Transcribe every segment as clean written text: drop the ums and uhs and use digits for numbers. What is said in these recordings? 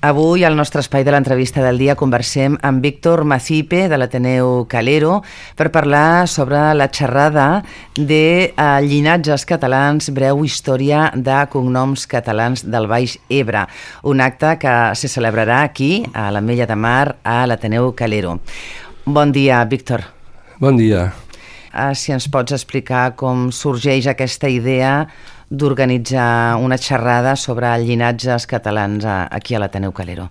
Avui, al nostre espai de l'entrevista del dia, conversem amb Víctor Macipe, de l'Ateneu Calero, per parlar sobre la xerrada de llinatges catalans, breu història de cognoms catalans del Baix Ebre, un acte que se celebrarà aquí, a l'Ametlla de Mar, a l'Ateneu Calero. Bon dia, Víctor. Bon dia. Si ens pots explicar com sorgeix aquesta idea d'organitzar una xerrada sobre llinatges catalans aquí a l'Ateneu Calero.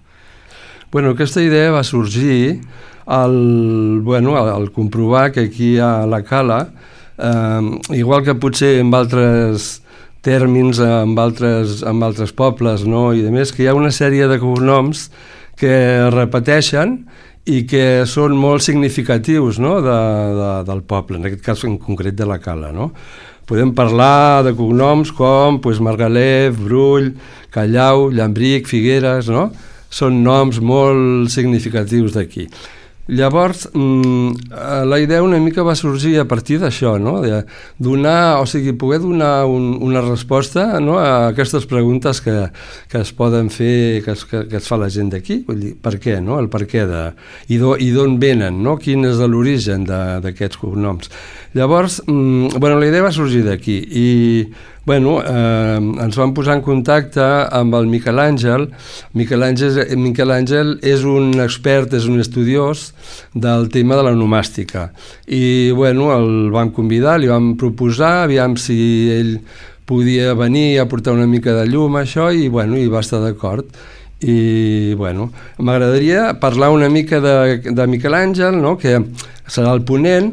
Bueno, aquesta idea va sorgir al comprovar que aquí a la Cala, igual que potser en altres tèrmins, en altres pobles, no? I a més, que hi ha una sèrie de cognoms que es repeteixen i que són molt significatius, no? del poble, en aquest cas en concret de la Cala, no? Podem parlar de cognoms com Margalef, Brull, Callau, Llambric, Figueres, no? Són noms molt significatius d'aquí. Llavors, la idea una mica va sorgir a partir d'això, no? De poder donar una resposta, no? A aquestes preguntes que es poden fer, que es fa la gent d'aquí. Vull dir, per què, no? El per què i d'on venen, no? Quin és l'origen d'aquests cognoms. Llavors, la idea va sorgir d'aquí i ens vam posar en contacte amb el Miquel Àngel. Miquel Àngel és un expert, és un estudiós del tema de la onomàstica. I el vam convidar, li vam proposar, aviam si ell podia venir a portar una mica de llum a això i va estar d'acord. I m'agradaria parlar una mica de Miquel Àngel, no? Que serà el ponent.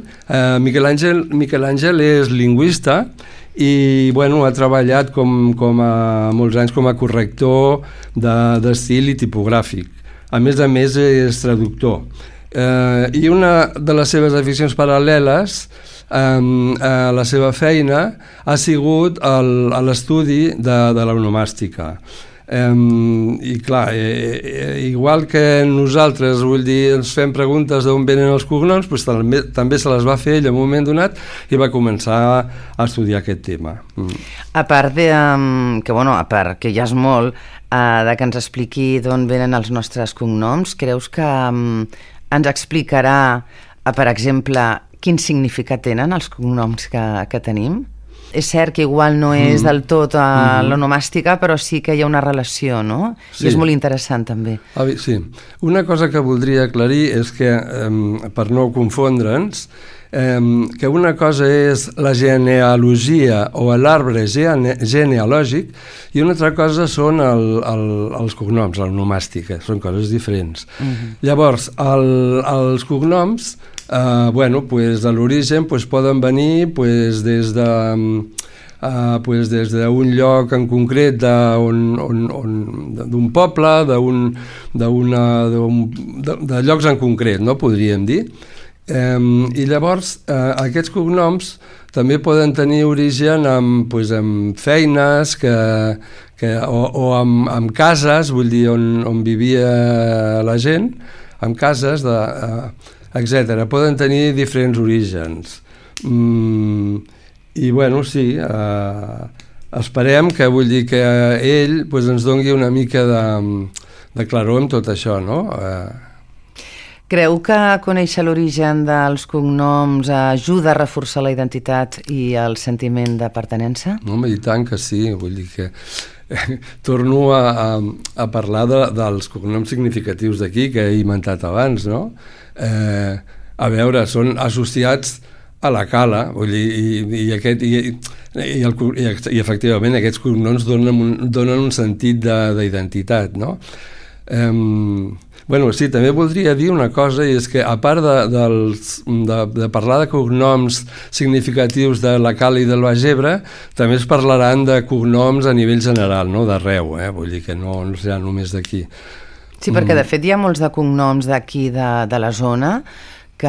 Miquel Àngel és lingüista i ha treballat com a molts anys com a corrector d'estil i tipogràfic. A més és traductor. I una de les seves aficions paral·leles a la seva feina ha sigut l'estudi de l'onomàstica. I clar, igual que nosaltres, ens fem preguntes d'on venen els cognoms, també se les va fer ell en un moment donat i va començar a estudiar aquest tema. A part que ja és molt de que ens expliqui d'on venen els nostres cognoms, creus que ens explicarà, per exemple, quin significat tenen els cognoms que tenim? És cert que igual no és del tot l'onomàstica, però sí que hi ha una relació, no? Sí. I és molt interessant, també. Sí. Una cosa que voldria aclarir és que, per no confondre'ns, que una cosa és la genealogia o l'arbre genealògic i una altra cosa són els cognoms, l'onomàstica. Són coses diferents. Llavors, els cognoms de l'origen poden venir des d'un lloc en concret d'un poble, de llocs en concret, no podríem dir. I llavors aquests cognoms també poden tenir origen amb feines o amb cases, vull dir, on vivia la gent, amb cases etcètera. Poden tenir diferents orígens. I sí, esperem que ell ens doni una mica de claror amb tot això, no? Creu que conèixer l'origen dels cognoms ajuda a reforçar la identitat i el sentiment de pertinença? Home, i tant que sí, vull dir que torno a parlar dels cognoms significatius d'aquí que he inventat abans, no? A veure, són associats a la Cala, vull dir, i efectivament aquests cognoms donen un sentit d'identitat, no? Sí, també voldria dir una cosa, i és que a part de parlar de cognoms significatius de la Cala i del Baix Ebre, també es parlaran de cognoms a nivell general, no? D'arreu, vull dir que no serà només d'aquí. Sí, perquè de fet hi ha molts de cognoms d'aquí de la zona que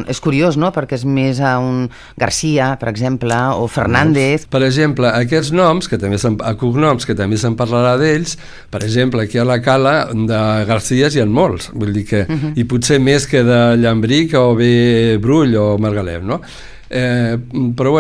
és curiós, no? Perquè és més a un Garcia, per exemple, o Fernández. Per exemple, aquests noms, cognoms, que també se'n parlarà d'ells, per exemple, aquí a la Cala de Garcies hi ha molts, vull dir que, i potser més que de Llambric o bé Brull o Margalef, no? Però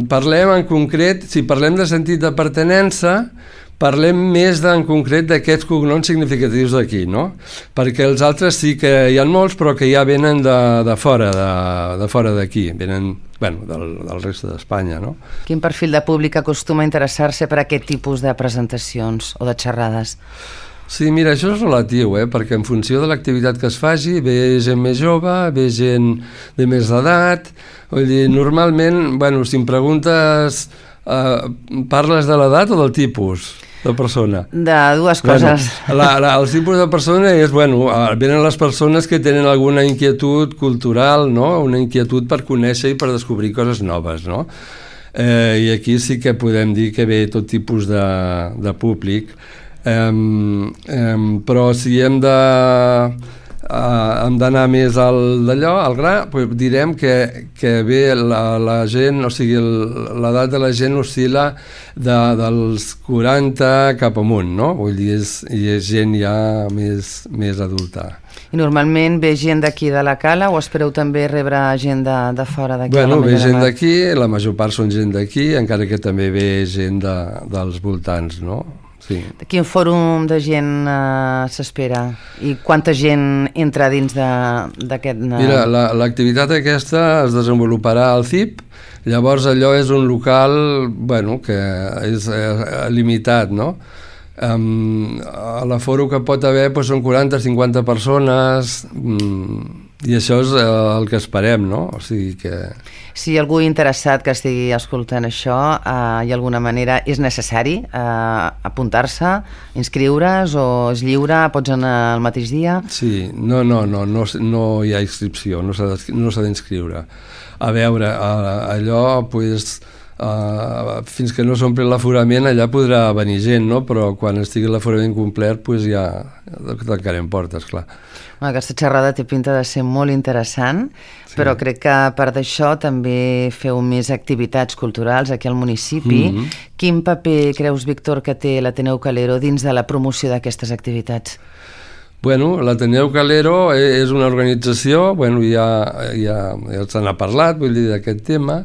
parlem en concret, si parlem de sentit de pertinença, parlem més en concret d'aquests cognoms significatius d'aquí, no? Perquè els altres sí que hi ha molts, però que ja venen de fora d'aquí, venen del reste d'Espanya, no? Quin perfil de públic acostuma a interessar-se per aquest tipus de presentacions o de xerrades? Sí, mira, això és relatiu, perquè en funció de l'activitat que es faci, ve gent més jove, ve gent de més edat, vull dir, normalment, si em preguntes, parles de l'edat o del tipus de persona? De dues coses. El tipus de persona és, venen les persones que tenen alguna inquietud cultural, no? Una inquietud per conèixer i per descobrir coses noves, no? I aquí sí que podem dir que ve tot tipus de públic. Però si hem d'anar més al gra, direm que ve la gent, o sigui, l'edat de la gent oscil·la dels 40 cap amunt, no? Vull dir, és gent ja més adulta. I normalment ve gent d'aquí de la Cala o espereu també rebre gent de fora d'aquí? Ve gent d'aquí, la major part són gent d'aquí, encara que també ve gent dels voltants, no? Sí. Quin fòrum de gent s'espera? I quanta gent entra dins d'aquest... Mira, l'activitat aquesta es desenvoluparà al CIP, llavors allò és un local, que és limitat, no? A l'aforo que pot haver són 40-50 persones, i això és el que esperem, no? O sigui que... Si hi ha algú interessat que estigui escoltant això, hi ha alguna manera, és necessari apuntar-se, inscriure's o és lliure, pots anar el mateix dia? Sí, no hi ha inscripció, no s'ha d'inscriure. A veure, allò, fins que no s'omple l'aforament, allà podrà venir gent, no? Però quan estigui l'aforament complet, ja tancarem portes, clar. Aquesta xerrada té pinta de ser molt interessant, sí. Però crec que a part d'això també feu més activitats culturals aquí al municipi. Quin paper creus, Víctor, que té l'Ateneu Calero dins de la promoció d'aquestes activitats? L'Ateneu Calero és una organització, ja se n'ha parlat, d'aquest tema,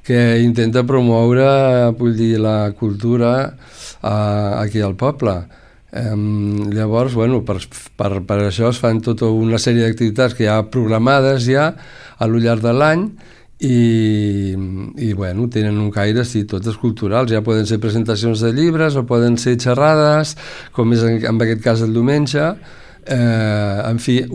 que intenta promoure, la cultura aquí al poble. Llavors, per això es fan tota una sèrie d'activitats que hi ha programades ja a lo llarg de l'any i tenen un caire, sí, totes culturals, ja poden ser presentacions de llibres o poden ser xerrades, com és en aquest cas el diumenge, en fi,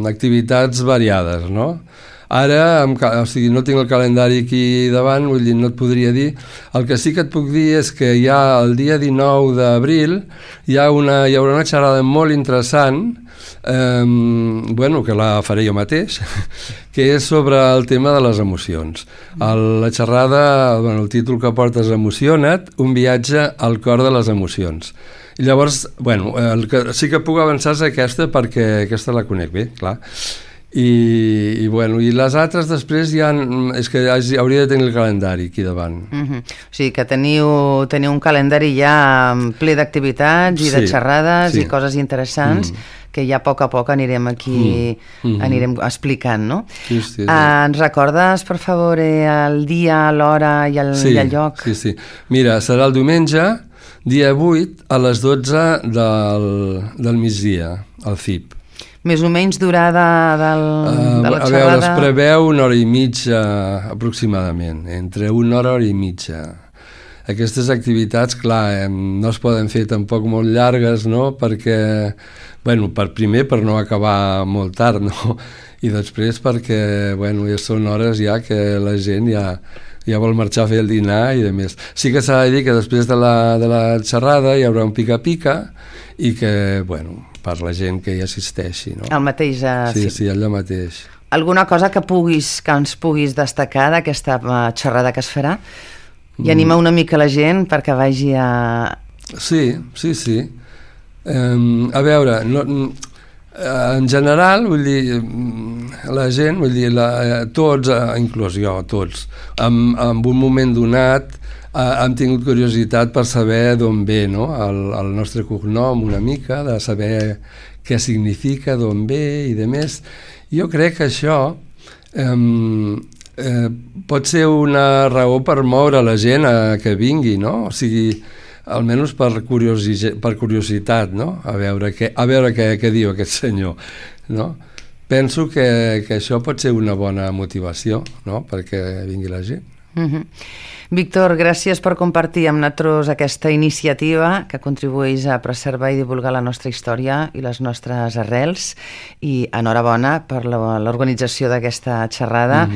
activitats variades, no? Ara, no tinc el calendari aquí davant, no et podria dir. El que sí que et puc dir és que ja el dia 19 d'abril hi haurà una xerrada molt interessant, que la faré jo mateix, que és sobre el tema de les emocions. La xerrada, el títol que porta és Emociona't, un viatge al cor de les emocions. I llavors, el que sí que puc avançar és aquesta, perquè aquesta la conec bé, clar. I les altres després és que hauria de tenir el calendari aquí davant. O sigui que teniu un calendari ja ple d'activitats i de xerrades i coses interessants que ja a poc anirem aquí anirem explicant, no? Sí. Ens recordes, per favor, el dia, l'hora i el lloc? Sí. Mira, serà el diumenge, dia 8, a les 12 del migdia, al CIP. Més o menys durada de la xerrada? A veure, es preveu 1 hora i mitja aproximadament, entre 1 hora i mitja. Aquestes activitats, clar, no es poden fer tampoc molt llargues, no? Perquè, per no acabar molt tard, no? I després perquè, ja són hores ja que la gent ja vol marxar a fer el dinar i de més. Sí que s'ha de dir que després de la xerrada hi haurà un pica-pica i que, per la gent que hi assisteixi, no? El mateix... Sí, allò mateix. Alguna cosa que ens puguis destacar d'aquesta xerrada que es farà? I anima una mica la gent perquè vagi a... Sí. A veure, en general, la gent, tots, inclús jo, tots, en un moment donat hem tingut curiositat per saber d'on ve, no? El nostre cognom una mica, de saber què significa, d'on ve i de més. Jo crec que això pot ser una raó per moure la gent a que vingui, no? O sigui, almenys per curiositat, no? A veure què diu aquest senyor, no? Penso que això pot ser una bona motivació, no?, perquè vingui la gent. Víctor, gràcies per compartir amb nosaltres aquesta iniciativa que contribueix a preservar i divulgar la nostra història i les nostres arrels, i enhorabona per l'organització d'aquesta xerrada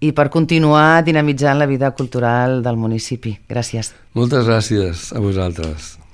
i per continuar dinamitzant la vida cultural del municipi. Gràcies. Moltes gràcies a vosaltres.